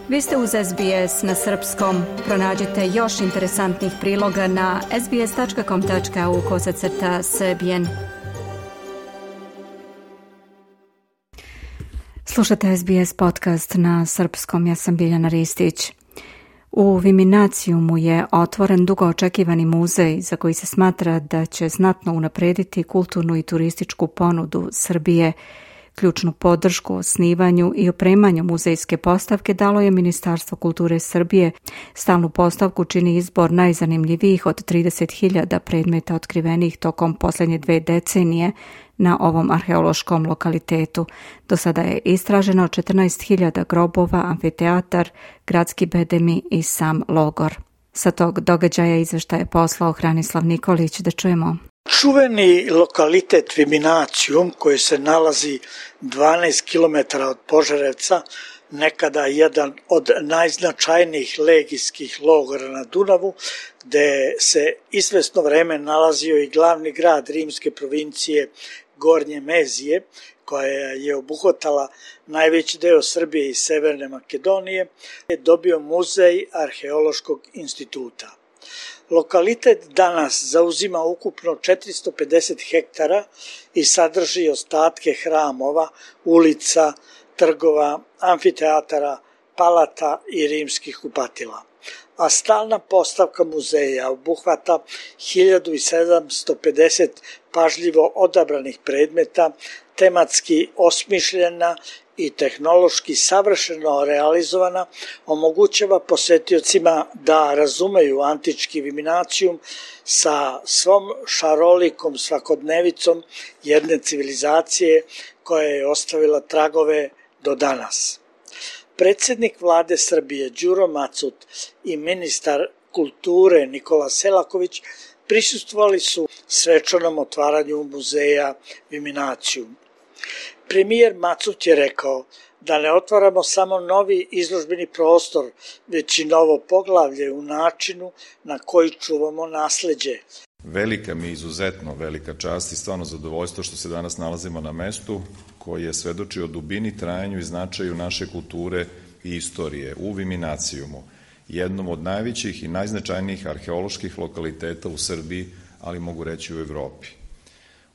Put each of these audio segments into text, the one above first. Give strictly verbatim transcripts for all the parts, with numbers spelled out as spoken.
Vi ste uz S B S na srpskom. Pronađite još interesantnih priloga na sbs tačka com tačka a u kosacrta srbijen. Slušate S B S podcast na srpskom, ja sam Biljana Ristić. U Viminacijumu je otvoren dugo očekivani muzej za koji se smatra da će znatno unaprediti kulturnu i turističku ponudu Srbije. Ključnu podršku osnivanju i opremanju muzejske postavke dalo je Ministarstvo kulture Srbije. Stalnu postavku čini izbor najzanimljivijih od trideset hiljada predmeta otkrivenih tokom posljednje dve decenije na ovom arheološkom lokalitetu. Do sada je istraženo četrnaest hiljada grobova, amfiteatar, gradski bedemi i sam logor. Sa tog događaja izveštaj je poslao Hranislav Nikolić, da čujemo. Čuveni lokalitet Viminacijum, koji se nalazi dvanaest kilometara od Požarevca, nekada jedan od najznačajnijih legijskih logora na Dunavu, gde se izvesno vreme nalazio i glavni grad rimske provincije Gornje Mezije, koja je obuhvatala najveći deo Srbije i Severne Makedonije, je dobio muzej Arheološkog instituta. Lokalitet danas zauzima ukupno četiristo pedeset hektara i sadrži ostatke hramova, ulica, trgova, amfiteatara, palata i rimskih kupatila. A stalna postavka muzeja obuhvata hiljadu sedamsto pedeset pažljivo odabranih predmeta, tematski osmišljena i tehnološki savršeno realizovana, omogućava posetiocima da razumeju antički Viminacijum sa svom šarolikom svakodnevicom jedne civilizacije koja je ostavila tragove do danas. Predsjednik vlade Srbije Đuro Macut i ministar kulture Nikola Selaković prisustvovali su svečanom otvaranju muzeja Viminacijum. Premijer Macut je rekao da ne otvaramo samo novi izložbeni prostor, već i novo poglavlje u načinu na koji čuvamo nasleđe. Velika mi, izuzetno velika čast i stvarno zadovoljstvo što se danas nalazimo na mestu koje svedoči o dubini, trajanju i značaju naše kulture i istorije u Viminacijumu, jednom od najvećih i najznačajnijih arheoloških lokaliteta u Srbiji, ali mogu reći u Evropi.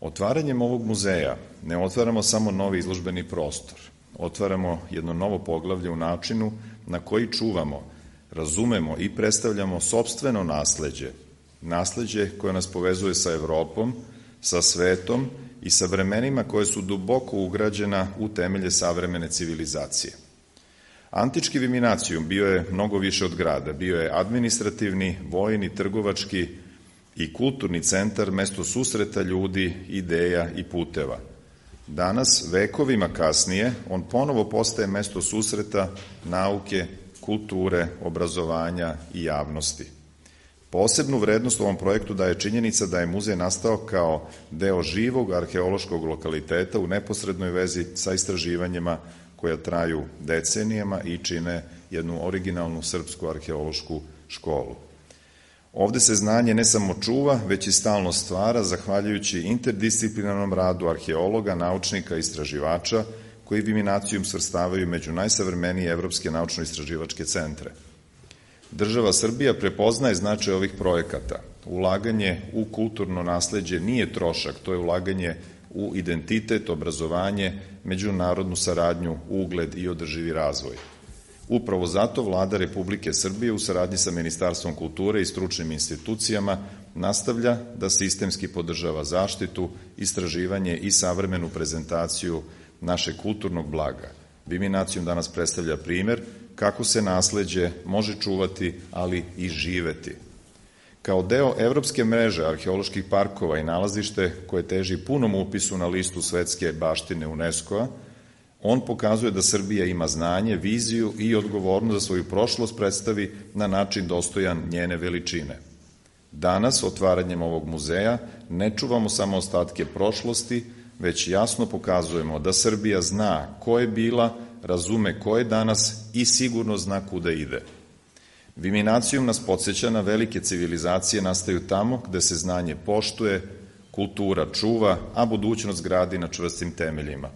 Otvaranjem ovog muzeja ne otvaramo samo novi izložbeni prostor, otvaramo jedno novo poglavlje u načinu na koji čuvamo, razumemo i predstavljamo sopstveno nasleđe, nasleđe koje nas povezuje sa Evropom, sa svetom i sa vremenima koje su duboko ugrađena u temelje savremene civilizacije. Antički Viminacijum bio je mnogo više od grada, bio je administrativni, vojni, trgovački i kulturni centar, mesto susreta ljudi, ideja i puteva. Danas, vekovima kasnije, on ponovo postaje mesto susreta, nauke, kulture, obrazovanja i javnosti. Posebnu vrednost ovom projektu daje činjenica da je muzej nastao kao deo živog arheološkog lokaliteta u neposrednoj vezi sa istraživanjima koja traju decenijama i čine jednu originalnu srpsku arheološku školu. Ovde se znanje ne samo čuva, već i stalno stvara, zahvaljujući interdisciplinarnom radu arheologa, naučnika i istraživača, koji Viminacijum svrstavaju među najsavremenije evropske naučno-istraživačke centre. Država Srbija prepoznaje značaj ovih projekata. Ulaganje u kulturno nasleđe nije trošak, to je ulaganje u identitet, obrazovanje, međunarodnu saradnju, ugled i održivi razvoj. Upravo zato Vlada Republike Srbije u saradnji sa Ministarstvom kulture i stručnim institucijama nastavlja da sistemski podržava zaštitu, istraživanje i savremenu prezentaciju našeg kulturnog blaga. Viminacijum danas predstavlja primer kako se nasleđe može čuvati, ali i živeti. Kao deo evropske mreže arheoloških parkova i nalazište koje teži punom upisu na listu svetske baštine UNESCO-a, on pokazuje da Srbija ima znanje, viziju i odgovornost da svoju prošlost predstavi na način dostojan njene veličine. Danas, otvaranjem ovog muzeja, ne čuvamo samo ostatke prošlosti, već jasno pokazujemo da Srbija zna ko je bila, razume ko je danas i sigurno zna kuda ide. Viminacijum nas podsjeća na velike civilizacije nastaju tamo gde se znanje poštuje, kultura čuva, a budućnost gradi na čvrstim temeljima.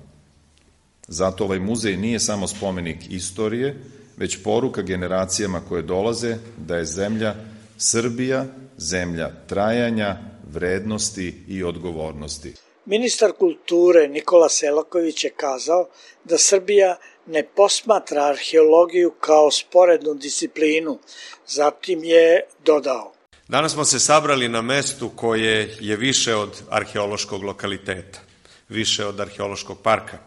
Zato ovaj muzej nije samo spomenik istorije, već poruka generacijama koje dolaze da je zemlja Srbija zemlja trajanja, vrednosti i odgovornosti. Ministar kulture Nikola Selaković je kazao da Srbija ne posmatra arheologiju kao sporednu disciplinu, zatim je dodao. Danas smo se sabrali na mestu koje je više od arheološkog lokaliteta, više od arheološkog parka.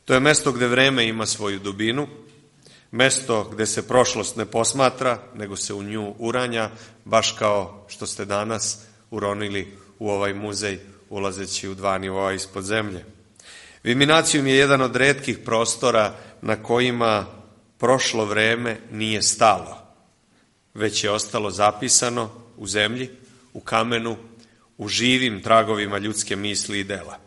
To je mesto gde vreme ima svoju dubinu, mesto gde se prošlost ne posmatra, nego se u nju uranja, baš kao što ste danas uronili u ovaj muzej, ulazeći u dva nivoa ispod zemlje. Viminacijum je jedan od retkih prostora na kojima prošlo vreme nije stalo, već je ostalo zapisano u zemlji, u kamenu, u živim tragovima ljudske misli i dela.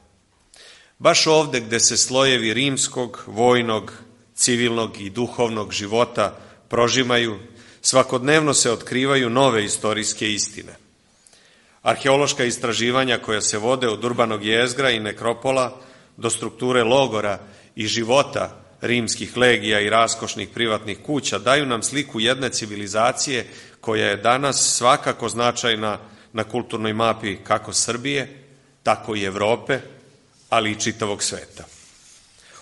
Baš ovde gde se slojevi rimskog, vojnog, civilnog i duhovnog života prožimaju, svakodnevno se otkrivaju nove istorijske istine. Arheološka istraživanja koja se vode od urbanog jezgra i nekropola do strukture logora i života rimskih legija i raskošnih privatnih kuća daju nam sliku jedne civilizacije koja je danas svakako značajna na kulturnoj mapi kako Srbije, tako i Evrope, ali i čitavog sveta.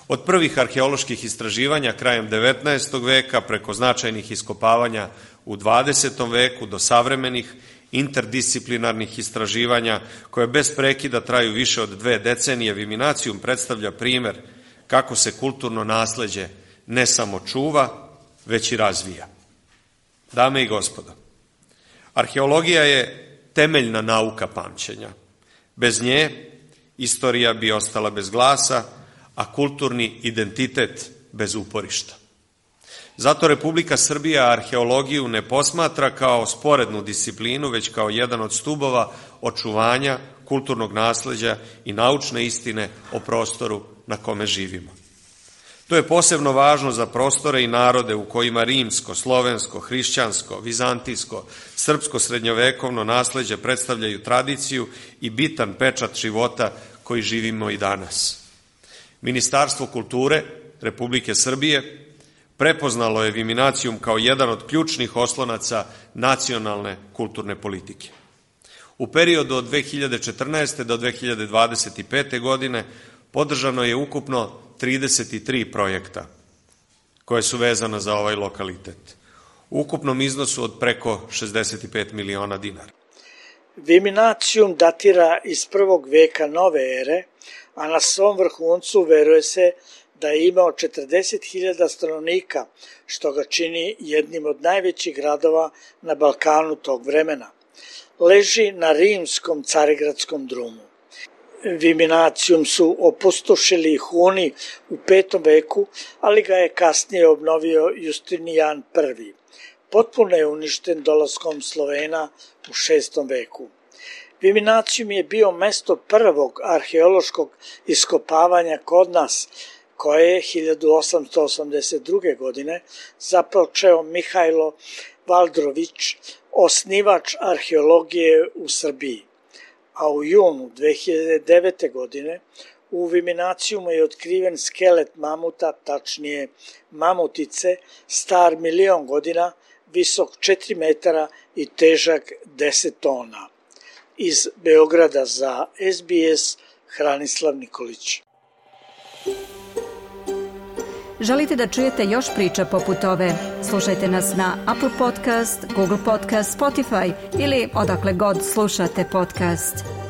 Od prvih arheoloških istraživanja krajem devetnaestog veka preko značajnih iskopavanja u dvadesetom veku do savremenih interdisciplinarnih istraživanja koje bez prekida traju više od dve decenije, Viminacijum predstavlja primer kako se kulturno nasleđe ne samo čuva, već i razvija. Dame i gospodo, arheologija je temeljna nauka pamćenja. Bez nje istorija bi ostala bez glasa, a kulturni identitet bez uporišta. Zato Republika Srbija arheologiju ne posmatra kao sporednu disciplinu, već kao jedan od stubova očuvanja kulturnog nasleđa i naučne istine o prostoru na kome živimo. To je posebno važno za prostore i narode u kojima rimsko, slovensko, hrišćansko, vizantijsko, srpsko srednjovekovno nasleđe predstavljaju tradiciju i bitan pečat života koji živimo i danas. Ministarstvo kulture Republike Srbije prepoznalo je Viminacijum kao jedan od ključnih oslonaca nacionalne kulturne politike. U periodu od dve hiljade četrnaeste. do dve hiljade dvadeset pete. godine podržano je ukupno trideset tri projekta koje su vezana za ovaj lokalitet, u ukupnom iznosu od preko šezdeset pet miliona dinara. Viminacijum datira iz prvog veka nove ere, a na svom vrhuncu veruje se da je imao četrdeset hiljada stanovnika, što ga čini jednim od najvećih gradova na Balkanu tog vremena. Leži na rimskom carigradskom drumu. Viminacijum su opustošili Huni u petom veku, ali ga je kasnije obnovio Justinijan prvi. Potpuno je uništen dolaskom Slovena u šestom veku. Viminacijum je bio mesto prvog arheološkog iskopavanja kod nas, koje je hiljadu osamsto osamdeset druge. godine započeo Mihajlo Valdrović, osnivač arheologije u Srbiji. A u junu dve hiljade devete. godine u Viminacijumu je otkriven skelet mamuta, tačnije mamutice, star milion godina, visok četiri metara i težak deset tona. Iz Beograda za S B S, Hranislav Nikolić. Želite da čujete još priča poput ove? Slušajte nas na Apple Podcast, Google Podcast, Spotify ili odakle god slušate podcast.